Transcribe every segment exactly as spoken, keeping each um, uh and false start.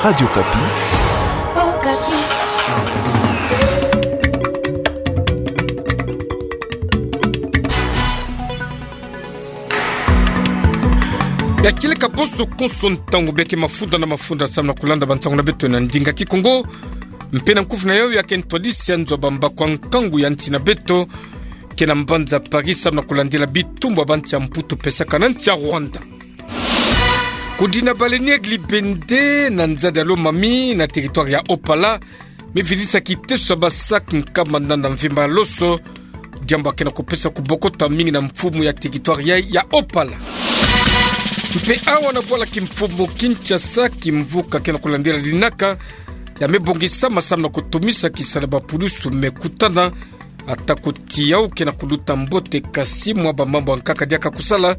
Radio Okapi. Ya kieleka bonso konso ntangu beke mafunda na mafunda samu na kulanda bansangu na beto na ndinga Kikongo. Mpe na nkufi na yau ya ke ntwadisi ya nzo ya bambakwa nkangu ya nsi na beto ke na mbanza Paris samu na kulandila bitumbu ya bansi ya Mputu pesaka na nsi ya Rwanda. Kudina baleinière Libende na nzadi ya Lomami na territoire ya Opala, mividisa kiteso ya ba sac nkama nana mvimba ya loso, diambu ya ke na kupesa kubokota mingi na mfumu ya territoire ya, ya Opala. Mpe awa na bwala kimfumu Kinshasa, kimvuka ke na kulandila linaka ya mebongisa ma samu na kutumisa kisalu ya bapulusu mekutana, ata kuti yau ke na kuluta mbote, kasi mwa bamambu ya nkaka diaka kusala,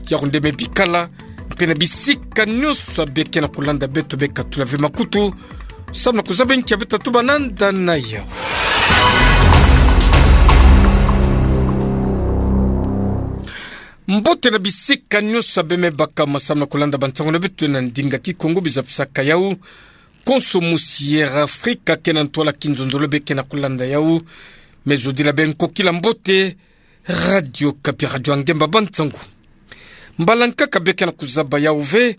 yau nde mebikala. Mpe na bisika nyonso beke na kulanda beto, bekatula ve makutu samu na kuzaba nki ya beta tuba nanda na yau. Mbote na bisika nyonso bemebaka ma samu na kulanda bansangu na beto na ndinga Kikongo, bizapisaka yau konso musi Air Afrika ke na ntwala kinzonzolo beke na kulanda yau. Mezodila beno kokila mbote. Radio Okapi, radio ya ngemba bansangu. Mbala nkaka beke na kuzaba yau ve,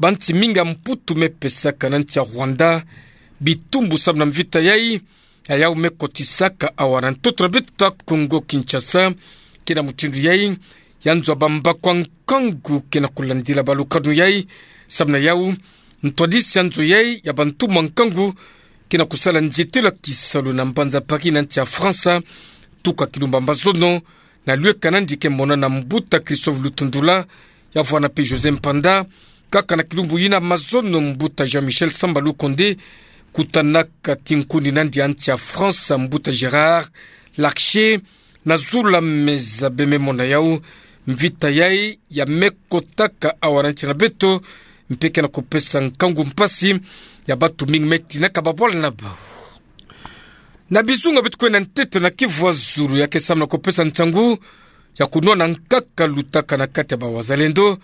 bansi mingi ya Mputu mepesaka na nsi ya Rwanda bitumbu samu na mvita yai, ya yau mekotisaka awa na ntoto na beto ya Kongo Kinshasa. Ke na mutindu yai, ya nzo ya bambakwa nkangu ke na kulandila balukanu yai, samu na yau ntwadisi ya nzo yai ya bantumwa nkangu ke na kusala nzietelo ya kisalu na mbanza Paris na nsi ya Faransa, tuka kilumbu ya mazono, na lweka nandi ke mona na mbuta Christophe Lutundula, ya vwanda mpe José Mpanda. Kaka na kilumbu yina mazono, mbuta Jean-Michel Samba Lukonde kutanaka tinkuni nandi ya nsi ya Faransa, mbuta Gérard Larcher, na zulu ya meza, bememona yau mvita yai ya mekotaka awa na nsi na beto, mpe ke na kupesa nkangu, mpasi ya bantu mingi metinaka babwala na bau. Na bizunga beto kwenda ntete na Kivu ya Zulu, ya ke samu na kupesa nsangu ya kunwana nkaka lutaka na kati ya ba Wazalendo,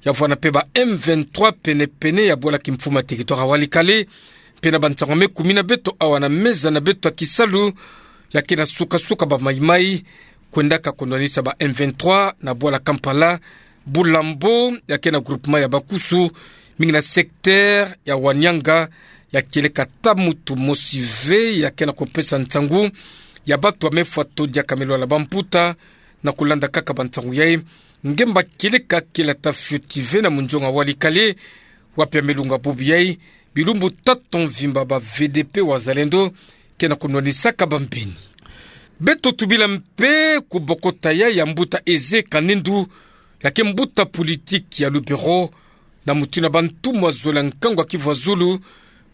ya vwanda mpe ba M vingt-trois penepene ya bwala kimfumu ya territoire ya Walikale. Mpe na bansangu ya mekumina beto awa na meza na beto ya kisalu, ya ke na sukasuka ba maimai kwendaka kunwanisa ba M vingt-trois na bwala Kampala, Bulambo, ya ke na groupement ya Bakusu, mingi na secteur ya Wanianga, ya kieleka ata muntu mosi ve ya ke na kupesa nsangu ya bantu ya mefwa to diaka melwala bamputa. Na kulanda kaka bansangu yai, ngemba kieleka kele ata fioti ve na munzonga Walikale, wapi ya melunga bubu yai, bilumbu tatu mvimba ba V D P Wazalendo ke na kunwanisaka bambeni. Beto tubila mpe kubokota yai ya mbuta Eze Kanendu, ya ke mbuta politiki ya Lubero, na mutindu ya bantumwa zole ya nkangu ya Kivu ya Zulu,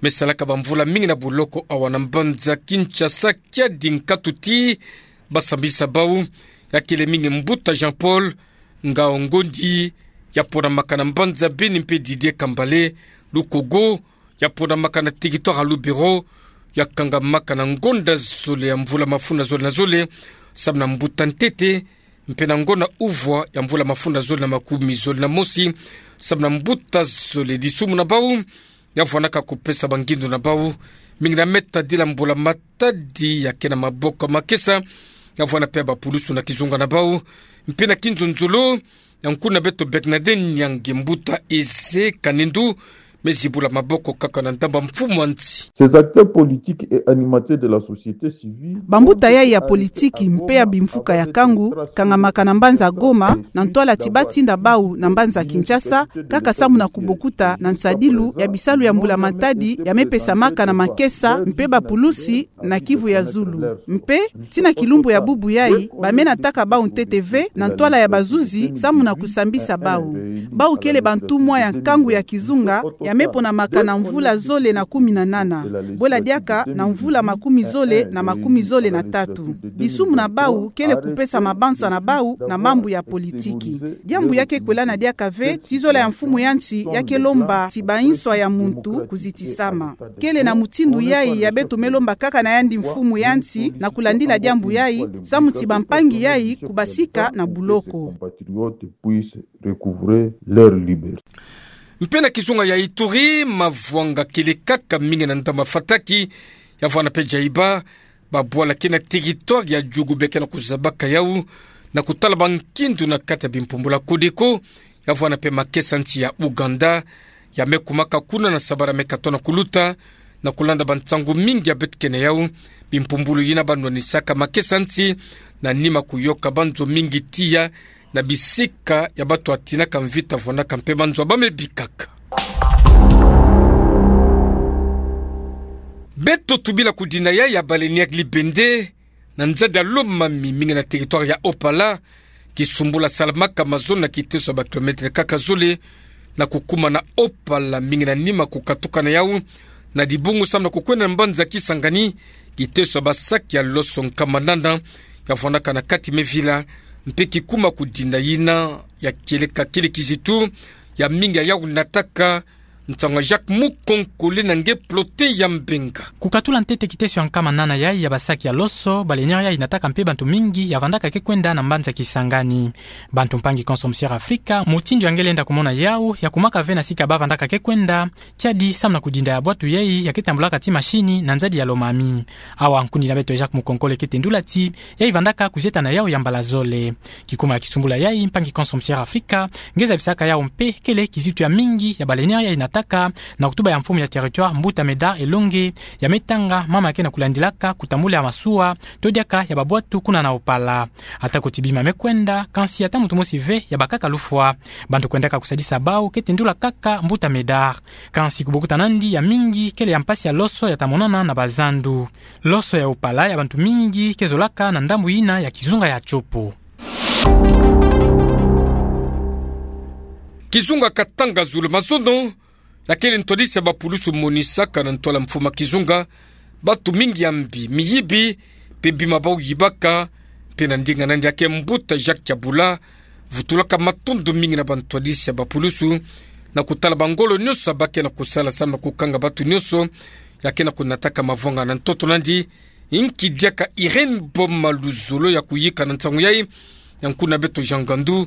mesalaka bamvula mingi na buloko awa na mbanza Kinshasa, kiadi nkatu ti basambisa bau, ya kele mingi mbuta Jean-Paul Ngao Ngondi, ya ponamaka na mbanza Beni, mpe Didier Kambale Lukogo, ya ponamaka na territoire ya Lubero, ya kangamaka na ngonda zole ya mvula mafunda zole na zole, samu na mbuta ntete, mpe na ngonda uvwa ya mvula mafunda zole na makumi zole na mosi, samu na mbuta zole. Disumu na bau ya vwandaka kupesa bangindu na bau, mingi na metadila mbula matadi ya ke na maboko makesa, ya vwanda mpe bapulusu na kizunga na bau, mpe na kinzonzolo, ya nkuna beto Bernadette Nyangi, mbuta Eze Kanendu mezibula maboko kaka na ndambu ya mfumu ya nsi. Ces acteurs politiques et animateurs de la société civile. Bambuta yai ya politiki mpe ya bimfuka ya kangu kangamaka na mbanza Goma, na ntwala ti batinda bau na mbanza Kinshasa, kaka samu na kubokuta na nsadilu ya bisalu ya mbula matadi ya mepesamaka na makesa mpe bapulusi na Kivu ya Zulu. Mpe ti na kilumbu ya bubu yai, bamenataka bau ntete ve na ntwala ya bazuzi samu na kusambisa bau. Bau kele bantumwa ya nkangu ya kizunga ya meponamaka na mvula zole na kumi na nana, bwela diaka na mvula makumi zole na makumi zole na tatu. Disumu na bau kele kupesa mabanza na bau na mambu ya politiki. Diambu ya ke kwelana diaka ve ti zola ya mfumu ya nsi ya ke lomba ti banswa ya muntu kuzitisama. Kele na mutindu yai ya beto melomba kaka na yandi mfumu ya nsi na kulandila diambu yai, samu ti bampangi yai kubasika na buloko. Recouvrer leur liberté. Mpe na kizunga ya Ituri, mavwanga kele kaka mingi na ndambu fataki, ya vwanda mpe jaiba, babwala ke na territoire ya Djougou be ke na kuzabaka yau, na kutala bankindu na kati ya bimpumbulu ya Codeco, ya vwanda mpe makesa nsi ya Ouganda, ya me kumaka kuna na sabala me katono kuluta, na kulanda bansangu mingi ya beto ke na yau, bimpumbulu yina banwanisaka makesa nsi, na nima kuyoka banzo mingi tiya, na bisika ya bato ya tinaka mvita vwandaka mpe banzo ya bame bikaka. Beto tubila kudinda yai ya baleinière Libende, na nzadi ya Lomami mingi na territoire ya Haut-Pala, kisumbula salamaka mazono na kiteso ya ba kilomètre kaka zole, na kukuma na Haut-Pala mingi na nima kukatuka na yau, na dibungu samu na kukwenda na mbanza Kisangani, kiteso ya ba sac ya loso nkama nana, ya vwandaka na kati me vila, mpe kikuma kudinda yina, ya kieleka kele kizitu, ya mingi ya yau nataka, nsangu ya Jacques Mukonkole na nge Plotin ya Mbenga. Kukatula ntete kiteso ya nkama nana yai ya ba sac ya loso, baleinière yai nataka mpe bantu mingi ya vandaka ke kwenda na mbanza Kisangani. Bantu mpangi Consortium Africa, mutindu ya nge lenda kumona yau, ya kumaka ve na sika ba vandaka ke kwenda, kiadi samu na kudinda ya bwatu yai ya ke tambulaka ti machine na nzadi ya Lomami. Awa nkundi na beto Jacques Mukonkole ke tendula ti, yai vandaka kuzieta na yau ya mbala zole. Kikuma ya kisumbula yai, mpangi Consortium Africa, nge zabisaka yau mpe kele kizitu ya mingi ya baleinière yai nataka, na kutuba ya mfumu ya territoire Mbuta Médard Elongue, ya me tanga mama ya ke na kulandilaka kutambula ya masuwa, to diaka ya babwatu kuna na Haut-Pala. Atako ti bima me kwenda, kansi ata muntu mosi ve ya bakaka lufwa. Bantu kwendaka kusadisa bau ke tendula kaka Mbuta Médard. Kansi kubokuta nandi ya mingi kele ya mpasi ya loso ya ta monana na bazandu. Loso ya Haut-Pala ya bantu mingi ke zolaka na ndambu yina ya kizunga ya Tshopo. Kizunga Katanga zulu mazono, ya kele ntwadisi ya bapulusu monisaka na ntwala mfuma kizunga, batu mingi ya mbi, miyibi, mpe bima bau yibaka, mpe na ndinga nandi ya ke Mbuta Jacques Tiabula, vutulaka matondo mingi na bantwadisi ya bapulusu, na kutala bangolo nyonso ya ba ke na kusala samu na kukanga batu nyonso, ya ke na kunataka mavwanga na ntoto nandi, inki diaka Irène Boma Luzolo ya kuyika na nsangu yai, ya nkundi na beto Jean Ngandu,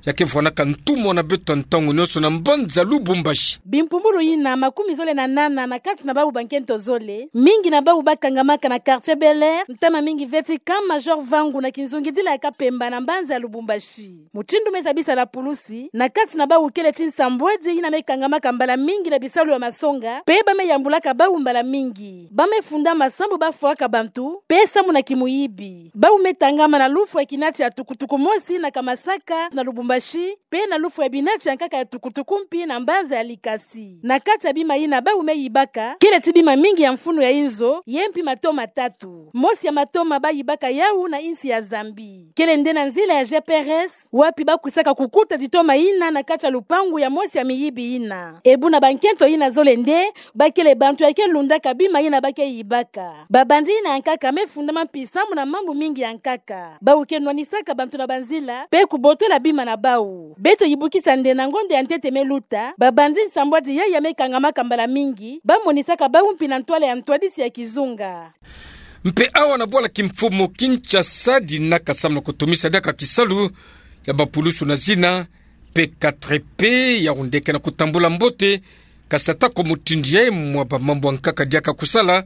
ya ke vwanaka ntumwa na beto ntangu nyonso na mbanza Lubumbashi. Bimpumbulu yina makumi zole na nana na kati na bau bankento zole, mingi na bau bakangamaka na quartier Bel Air, ntama mingi ve ti Camp Major Vangu na kinzungidila ya Kapemba na mbanza ya Lubumbashi. Mutindu me zabisa na pulusi, na kati na bau kele ti nsambwadi yina me kangamaka mbala mingi na bisalu ya masonga, mpe ba me yambulaka bau mbala mingi. Ba me funda masambu ba fwaka bantu, mpe samu na kimuyibi. Bau me tangama na lufwa ya kinati ya tukutuku mosi na Kamasaka na Lubumbashi, mpe na lufwa ya binati ya nkaka ya tukutuku mpi na mbanza ya Likasi. Na kati ya bima yina bau me yibaka, kele ti bima mingi ya mfunu ya inzo, ye mpi matoma tatu. Mosi ya matoma ba yibaka yau na insi ya Zambie. Kele nde na nzila ya G P R S, wapi ba kwisaka kukuta titoma yina na kati ya lupangu ya mosi ya miyibi yina. Ebu na bankento yina zole nde, ba kele bantu ya ke lundaka bima yina ba ke yibaka. Babandi yina ya nkaka me fundama mpi samu na mambu mingi ya nkaka. Bau ke nwanisaka bantu na banzila, mpe kubotola bima na bau. Beto yibukisa nde na ngonda ya ntete me luta, babandi nsambwadi yai ya me kangamaka mbala mingi, ba monisaka bau mpi na ntwala ya ntwadisi ya kizunga. Mpe awa na bwala kimfumu Kinshasa dinaka samu na kutumisa diaka kisalu ya bapulusu na zina, P quatre P, yau nde ke na kutambula mbote, kasi atako mutindu yai mwa bamambu ya nkaka diaka kusala,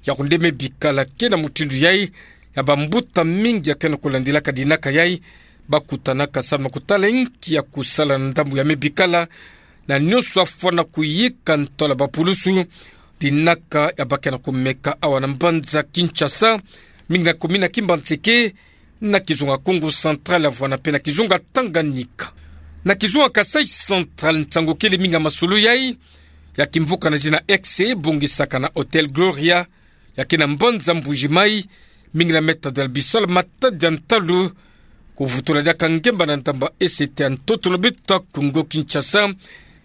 yau nde me bikala ke na mutindu yai, ya bambuta mingi ya ke na kulandilaka dinaka yai, ba kutanaka samu na kutala inki ya kusala na ndambu ya me bikala, na nyonso afwana kuyika ntwala bapulusu, dinaka ya ba ke na kumeka awa na mbanza Kinshasa, mingi na commune ya Kimbanseke, na kizunga Kongo Central ya vwana mpe na kizunga Tanganyika. Na kizunga Kasaï Central nsangu kele mingi ya masolo yai, ya kimvuka na zina X bongisaka na Hôtel Gloria, ya ke na mbanza Mbuji-Mayi, mingi na me tadila bisalu matadi ya ntalu, kuvutula diaka ngemba na ndamba esete ya ntoto na beto Kongo Kinshasa,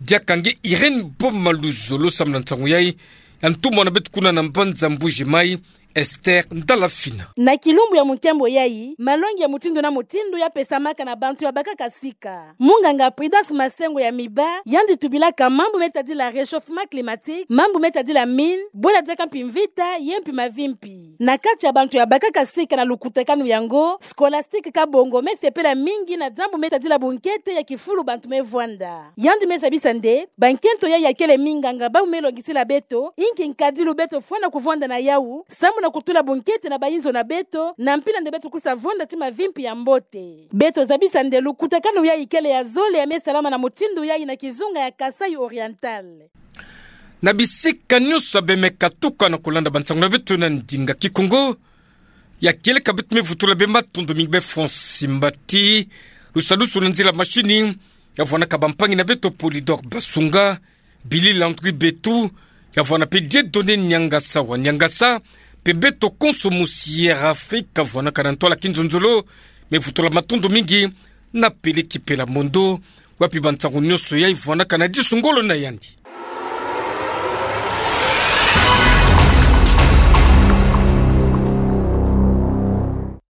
diaka nge Irène Boma Luzolo samu na nsangu yai, ya ntumwa na beto kuna na mbanza Mbuji-Mayi, Esther Ndalafina. Na kilumbu ya munkembo yayi, malongi ya mutindu na mutindu ya pesamaka na bantu ya bakaka sika. Munganga Prudence Masengo ya Miba, yandi tubilaka mambu me tadila réchauffement climatique, mambu me tadila mine, bwela diaka mpi mvita, ye mpi mavi mpi. Na kati ya bantu ya bakaka sika na lukutakanu yango, Scolastique Kabongo me sepela mingi na diambu me tadila bunkete ya kifulu bantu me vwanda. Yandi me zabisa nde, bankento yayi ya kele minganga bawu me longisila beto, inki nkadilu beto fwana kuvwanda na yawu, samu na kutula bunkete na bayinzo na beto, na mpila nde beto kusa vwanda ti mavi mpi ya mbote. Beto zabisa nde lukutakanu yayi kele ya zole ya me salama na mutindu yayi na kizunga ya Kasaï Oriental. Na bisika nyonso ya bemeka tuka na kulanda bansangu na beto na ndinga Kikongo, ya kieleka beto me vutula bê matondo mingi bê Francis Mbati, lusadusu na nzila mashini, ya vwanaka bampangi na beto Polydor Basunga, Billy Landry Betu, ya vwana pe Dieudonné Niangasa wa Niangasa, pe beto konso musi Air Afrique, ya vwanaka na ntwala kinzonzolo, me vutula matondo mingi na Peleki Pelamondo, wapi bansangu nyonso yayi vwanaka na disu ngolo na yandi.